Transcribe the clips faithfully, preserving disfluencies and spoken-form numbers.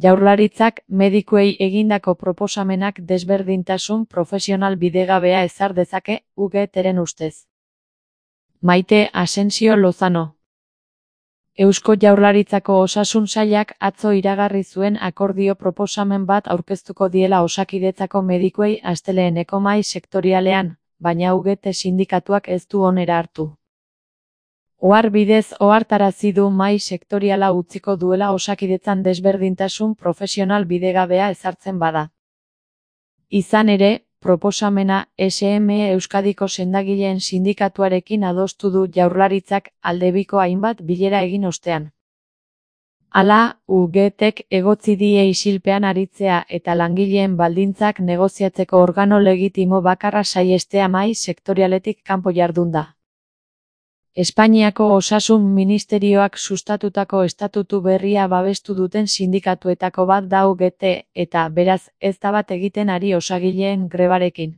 Jaurlaritzak medikuei egindako proposamenak desberdintasun profesional bidegabea ezar dezake, U G Tren ustez. Maite Asensio Lozano. Eusko Jaurlaritzako Osasun Sailak atzo iragarri zuen akordio proposamen bat aurkeztuko diela Osakidetzako medikuei asteleheneko mahai sektorialean, baina U G T sindikatuak ez du onera hartu. Ohar bidez ohartarazi du mahai sektoriala utziko duela Osakidetzan desberdintasun profesional bidegabea ezartzen bada. Izan ere, proposamena S M E Euskadiko sendagileen sindikatuarekin adostu du Jaurlaritzak aldebiko hainbat bilera egin ostean. Hala, U G Tek egotzi die isilpean aritzea eta langileen baldintzak negoziatzeko organo legitimo bakarra saihestea mahai sektorialetik kanpo jardunda. Espainiako Osasun Ministerioak sustatutako estatutu berria babestu duten sindikatuetako bat da U G T, eta, beraz, ez da bat egiten ari osagileen grebarekin.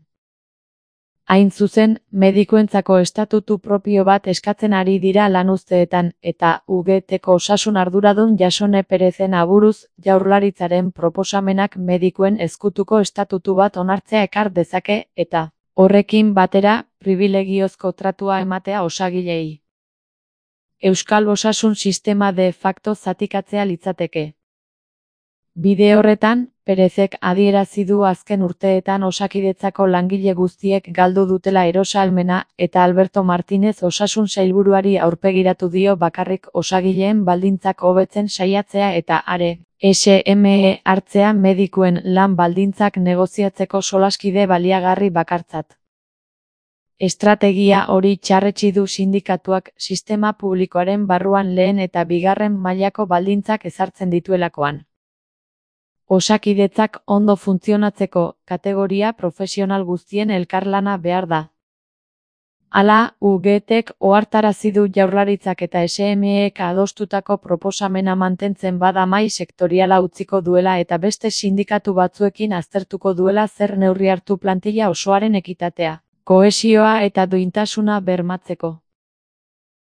Hain zuzen, medikuentzako estatutu propio bat eskatzen ari dira lanuzteetan, eta U G Teko osasun arduradun Jasone Perezen aburuz, Jaurlaritzaren proposamenak medikuen ezkutuko estatutu bat onartzea ekar dezake, eta, horrekin batera, pribilegiozko tratua ematea osagileei. Euskal osasun sistema de facto zatikatzea litzateke. Bide horretan, Perezek adierazi du azken urteetan Osakidetzako langile guztiek galdu dutela erosahalmena eta Alberto Martínez osasun sailburuari aurpegiratu dio bakarrik osagileen baldintzak hobetzen saiatzea eta are, S M E hartzea medikuen lan baldintzak negoziatzeko solaskide baliagarri bakartzat. Estrategia hori txarretsi du sindikatuak sistema publikoaren barruan lehen eta bigarren mailako baldintzak ezartzen dituelakoan. Osakidetzak ondo funtzionatzeko kategoria profesional guztien elkarlana behar da. Hala, U G Tek ohartarazi du Jaurlaritzak eta S M Ek adostutako proposamena mantentzen bada mahai sektoriala utziko duela eta beste sindikatu batzuekin aztertuko duela zer neurri hartu plantilla osoaren ekitatea, kohesioa eta duintasuna bermatzeko.